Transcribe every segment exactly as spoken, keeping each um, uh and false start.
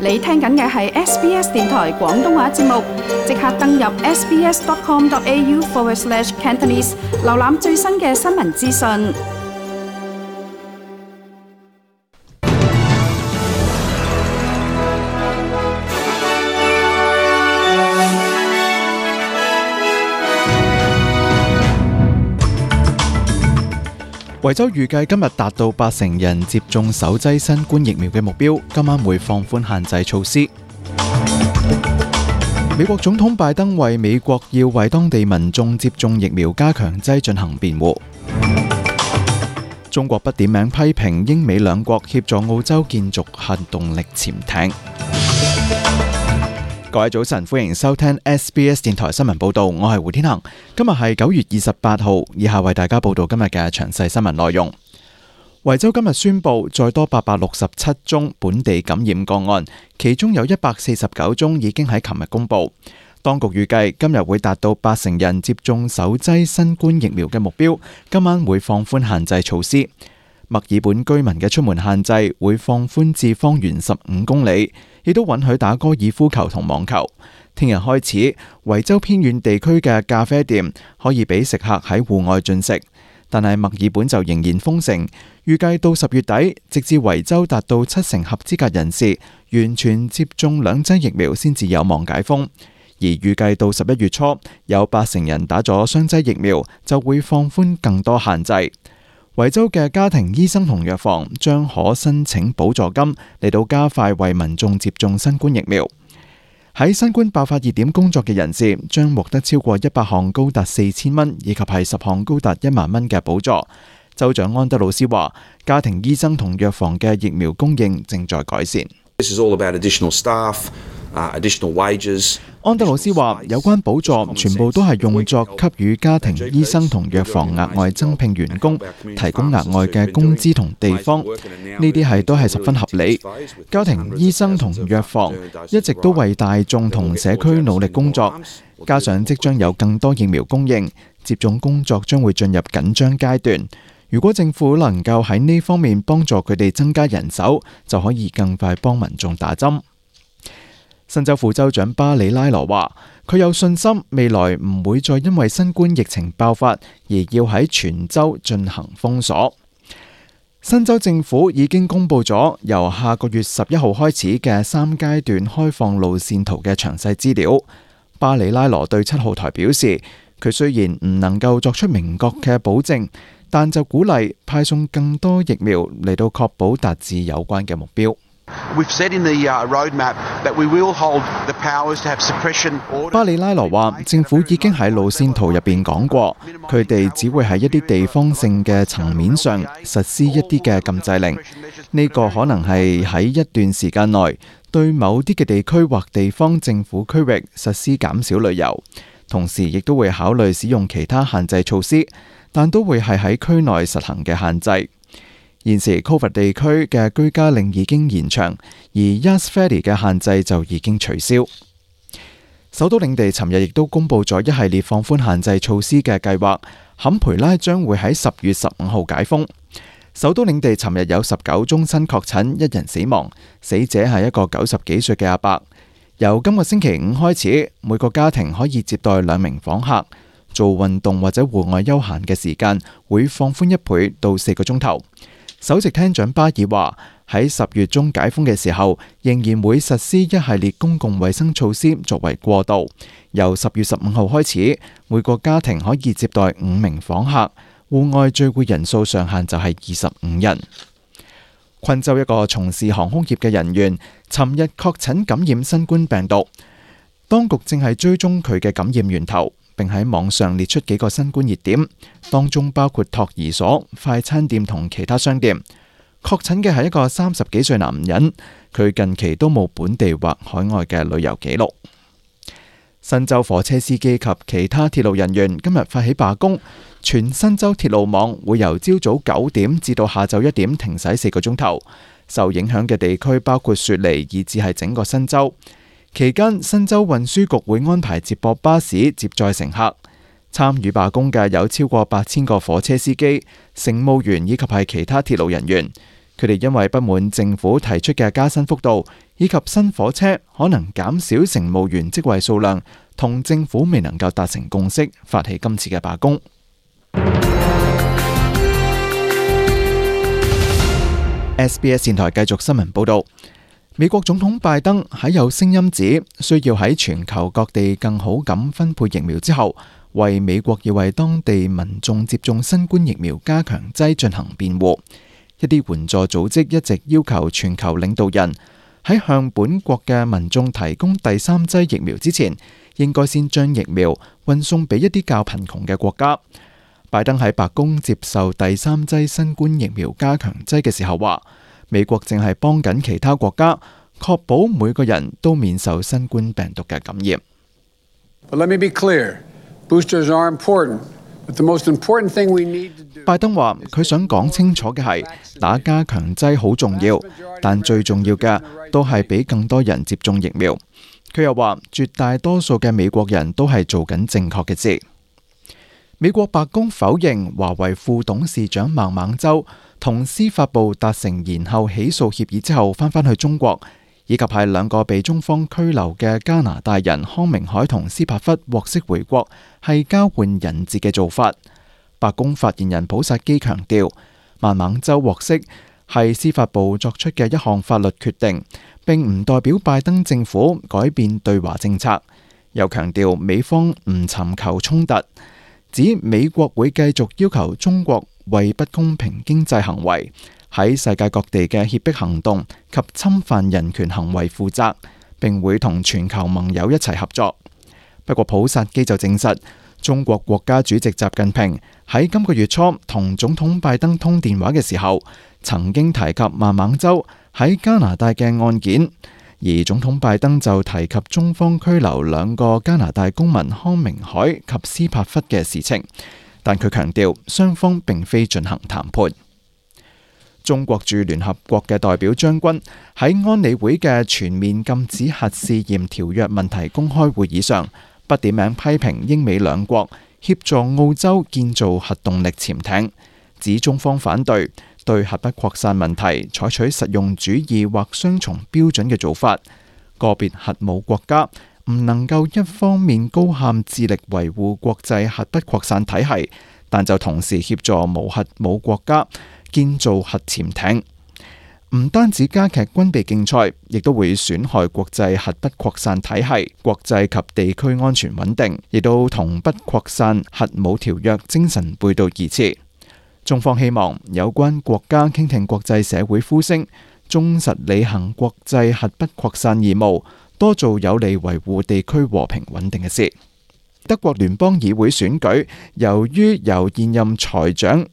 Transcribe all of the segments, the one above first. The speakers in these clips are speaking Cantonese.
你聽緊嘅係 S B S 電台廣東話節目，即刻登入 sbs.com.au forward slash Cantonese， 瀏覽最新嘅新聞資訊。維州預計今日達到八成人接種首劑新冠疫苗嘅目標，今晚會放寬限制措施。美國總統拜登為美國要為當地民眾接種疫苗加強劑進行辯護。中國不點名批評英美兩國協助澳洲建造核動力潛艇。各位早晨，歡迎收聽 S B S 電台新聞報道，我係胡天恒。今日係九月二十八號，以下為大家報道今日嘅詳細新聞內容。維州今日宣布再多八百六十七宗本地感染個案，其中有一百四十九宗已經喺琴日公布。當局預計今日會達到八成人接種首劑新冠疫苗嘅目標，今晚會放寬限制措施。墨爾本居民嘅出門限制會放寬至方圓十五公里，亦都允許打高爾夫球同網球。聽日開始，維州偏遠地區嘅咖啡店可以俾食客喺戶外進食，但係墨爾本就仍然封城。預計到十月底，直至維州達到七成合資格人士完全接種兩劑疫苗先至有望解封。而預計到十一月初，有八成人打咗雙劑疫苗，就會放寬更多限制。維州嘅家庭醫生同藥房將可申請補助金嚟到加快為民眾接種新冠疫苗。喺新冠爆發熱點工作嘅人士將獲得超過一百項高達四千蚊，以及係十項高達一萬蚊嘅補助。州長安德魯斯話，家庭醫生同藥房嘅疫苗供應正在改善。This is all about additional staff, uh, additional wages. 安德魯斯話，有關補助全部都係用作給予家庭醫生同藥房額外增聘員工，提供額外嘅工資同地方，呢啲係都係十分合理。家庭醫生同藥房一直都為大眾同社區努力工作，加上即將有更多疫苗供應，接種工作將會進入緊張階段。如果政府能夠喺呢方面幫助佢哋增加人手，就可以更快幫民眾打針。新州副州長巴里拉羅話，佢有信心未來唔會再因為新冠疫情爆發而要喺全州進行封鎖。新州政府已經公布咗由下個月十一號開始嘅三階段開放路線圖嘅詳細資料。巴里拉羅對七號台表示，佢雖然唔能夠作出明確嘅保證，但就鼓勵派送更多疫苗嚟到確保達至有關嘅目標。巴里拉羅話，政府已經喺路線圖入邊講過，佢哋只會喺一啲地方性嘅層面上實施一啲嘅禁制令。呢個可能係喺一段時間內對某啲嘅地區或地方政府區域實施減少旅遊，同時亦都會考慮使用其他限制措施，但都會係喺區內實行嘅限制。現時 Covid 地區嘅居家令已經延長，而 Yass Valley 嘅限制就已經取消。首都領地尋日亦都公布咗一系列放寬限制措施嘅計劃，坎培拉將會喺十月十五號解封。首都領地尋日有十九宗新確診，一人死亡，死者係一個九十幾歲嘅阿伯。由今個星期五開始，每個家庭可以接待兩名訪客，做運動或者戶外休閒嘅時間會放寬一倍到四個鐘頭。首席廳長巴爾話，喺十月中解封嘅時候，仍然會實施一系列公共衛生措施作為過渡。由十月十五號開始，每個家庭可以接待五名訪客，戶外聚會人數上限就係二十五人。昆州一個從事航空業嘅人員，尋日確診感染新冠病毒，當局正係追蹤佢嘅感染源頭，並喺網上列出幾個新冠熱點，當中包括托兒所、快餐店同其他商店。確診嘅係一個三十幾歲男人，佢近期都冇本地或海外嘅旅遊記錄。新州火車司機及其他鐵路人員今日發起罷工，全新州鐵路網會由朝早九點至到下晝一點停駛四個鐘頭。受影響嘅地區包括雪梨以至係整個新州。期間，新州運輸局會安排接駁巴士接載乘客。參與罷工嘅有超過八千個火車司機、乘務員以及係其他鐵路人員。佢哋因為不滿政府提出嘅加薪幅度，以及新火車可能減少乘務員職位數量，同政府未能夠達成共識，發起今次嘅罷工。S B S 電台繼續新聞報道，美國總統拜登喺有聲音指需要喺全球各地更好咁分配疫苗之後，為美國要為當地民眾接種新冠疫苗加強劑進行辯護。一啲援助組織一直要求全球領導人喺向本國嘅民眾提供第三劑疫苗之前，應該先將疫苗運送俾一啲較貧窮嘅國家。拜登喺白宮接受第三劑新冠疫苗加強劑嘅時候話，美國正係幫緊其他國家，確保每個人都免受新冠病毒嘅感染。But let me be clear, boosters are important, but the most important thing we need to do。拜登話佢想講清楚嘅係，打加強劑好重要，但最重要嘅都係俾更多人接種疫苗。佢又話，絕大多數嘅美國人都係做緊正確嘅事。美國白宮否認華為副董事長孟晚舟同司法部達成延後起訴協議之後翻返去中國，以及係兩個被中方拘留嘅加拿大人康明凱同斯帕弗獲釋回國係交換人質嘅做法。白宮發言人普薩基強調，孟晚舟獲釋係司法部作出嘅一項法律決定，並唔代表拜登政府改變對華政策。又強調美方唔尋求衝突，指美國會繼續要求中國為不公平經濟行為、喺世界各地嘅脅迫行動及侵犯人權行為負責，並會同全球盟友一齊合作。不過普薩基就證實，中國國家主席習近平喺今個月初同總統拜登通電話嘅時候，曾經提及孟晚舟喺加拿大嘅案件，而總統拜登就提及中方拘留兩個加拿大公民康明凱及斯帕弗嘅事情，但佢強調雙方並非進行談判。中國駐聯合國嘅代表張軍喺安理會嘅全面禁止核試驗條約問題公開會議上，不點名批評英美兩國協助澳洲建造核動力潛艇，指中方反對對核不擴散問題採取實用主義或雙重標準嘅做法。個別核武國家唔能夠一方面高喊致力維護國際核不擴散體系，但就同時協助無核武國家建造核潛艇，唔單止加劇軍備競賽，亦都會損害國際核不擴散體系、國際及地區安全穩定，亦都同不擴散核武條約精神背道而馳。中方希望有關國家傾聽國際社會呼聲，忠實履行國際核不擴散義務，多做有利維護地區和平穩定嘅事。德國聯邦議會選舉，由於由現任財長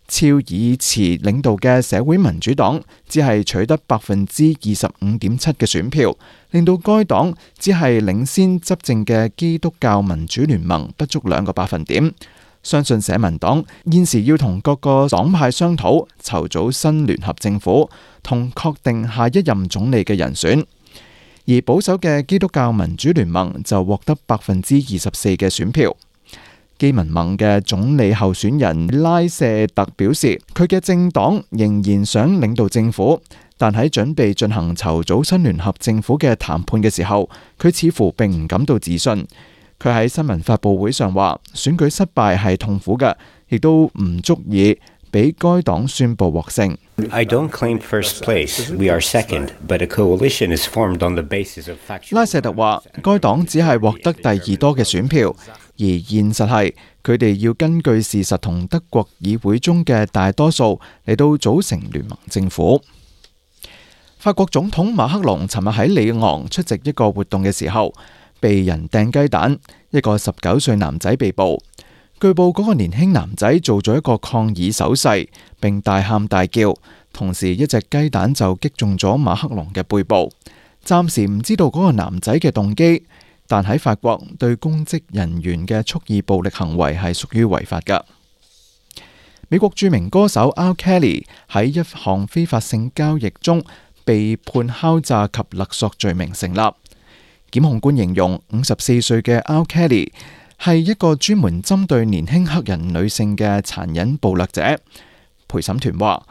肖爾茨領導嘅社會民主黨只係取得百分之二十五點七嘅選票，令到該黨只係領先執政嘅基督教民主聯盟不足兩個百分點。相信社民黨現時要同各個黨派商討，籌組新聯合政府，同確定下一任總理嘅人選。而保守嘅基督教民主聯盟就獲得百分之二十四嘅選票。基民盟嘅總理候選人拉舍特表示，佢嘅政黨仍然想領導政府，但喺準備進行籌組新聯合政府嘅談判嘅時候，佢似乎並唔感到自信。佢喺新聞發佈會上話，選舉失敗係痛苦嘅，亦都唔足以俾該黨宣佈獲勝。I don't claim first place. We are second, but a coalition is formed on the basis of factual. 拉舍特話，該黨只係獲得第二多嘅選票，而現實係佢哋要根據事實同德國議會中嘅大多數嚟到組成聯盟政府。法國總統馬克龍尋日喺里昂出席一個活動嘅時候，被人掟雞蛋，一個十九歲男仔被捕。據報嗰個年輕男仔做咗一個抗議手勢，並大喊大叫，同時一隻雞蛋就擊中咗馬克龍嘅背部。暫時唔知道嗰個男仔嘅動機，但喺法國對公職人員嘅蓄意暴力行為係屬於違法㗎。美國著名歌手 R. Kelly 喺一項非法性交易中被判敲詐及勒索罪名成立。檢控官形容五十四歲嘅 R. Kelly 係一個專門針對年輕黑人女性嘅殘忍暴虐者。陪審團話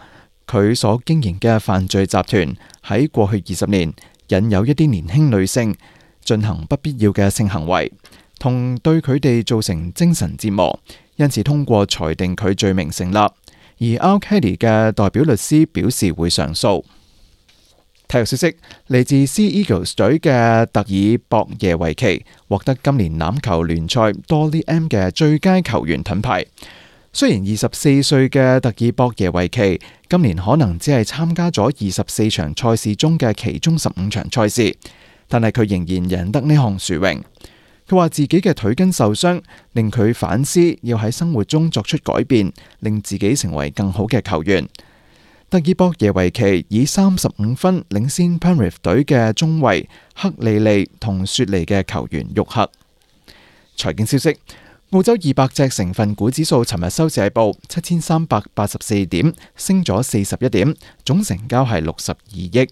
佢所經營嘅犯罪集團喺過去二十年引誘一啲年輕女性進行不必要嘅性行為，同對佢哋造成精神折磨，因此通過裁定佢罪名成立。而 R. Kelly 嘅代表律師表示會上訴。體育消息，嚟自 Sea Eagles 隊嘅特爾博耶維奇獲得今年欖球聯賽 Dally M 嘅最佳球員盾牌。雖然二十四歲嘅特爾博耶維奇今年可能只係參加咗二十四場賽事中嘅其中十五場賽事，但係佢仍然贏得呢項殊榮。佢話自己嘅腿筋受傷，令佢反思要喺生活中作出改變，令自己成為更好嘅球員。特爾博耶維奇以三十五分領先 Penrith 隊嘅中衛克里利同雪梨嘅球員沃克。財經消息，澳洲二百隻成分股指數尋日收市係報七千三百八十四點，升咗四十一點，總成交係六十二億。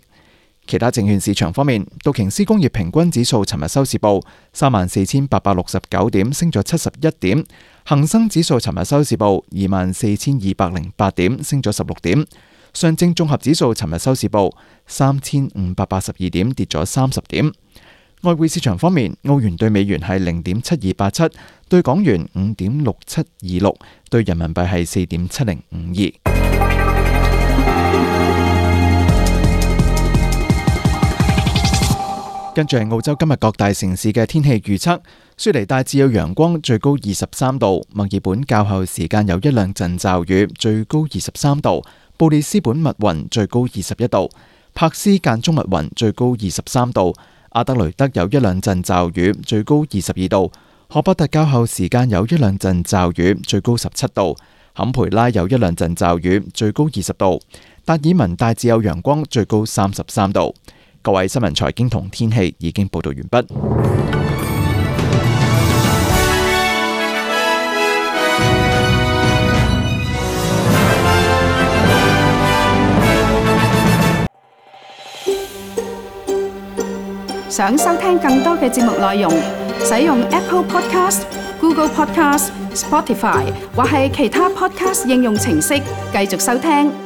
其他證券市場方面，道瓊斯工業平均指數尋日收市報三萬四千八百六十九點，升咗七十一點。恒生指數尋日收市報二萬四千二百零八點，升咗十六點。上證綜合指數尋日收市報三千五百八十二點，跌咗三十點。外匯市場方面，澳元對美元係零點七二八七，對港元五點六七二六，對人民幣係四點七零五二。跟住係澳洲今日各大城市嘅天氣預測：雪梨大致有陽光，最高二十三度；墨爾本較後時間有一兩陣驟雨，最高二十三度；布里斯本密雲，最高二十一度；柏斯間中密雲，最高二十三度；阿德雷德有一兩陣驟雨，最高二十二度；荷伯特較後時間有一兩陣驟雨，最高十七度；坎培拉有一兩陣驟雨，最高二十度；達爾文大致有陽光，最高三十三度。各位，新聞財經同天氣已經報道完畢。想收聽更多嘅節目內容，使用 Apple Podcast、Google Podcast、Spotify 或係其他 Podcast 應用程式繼續收聽。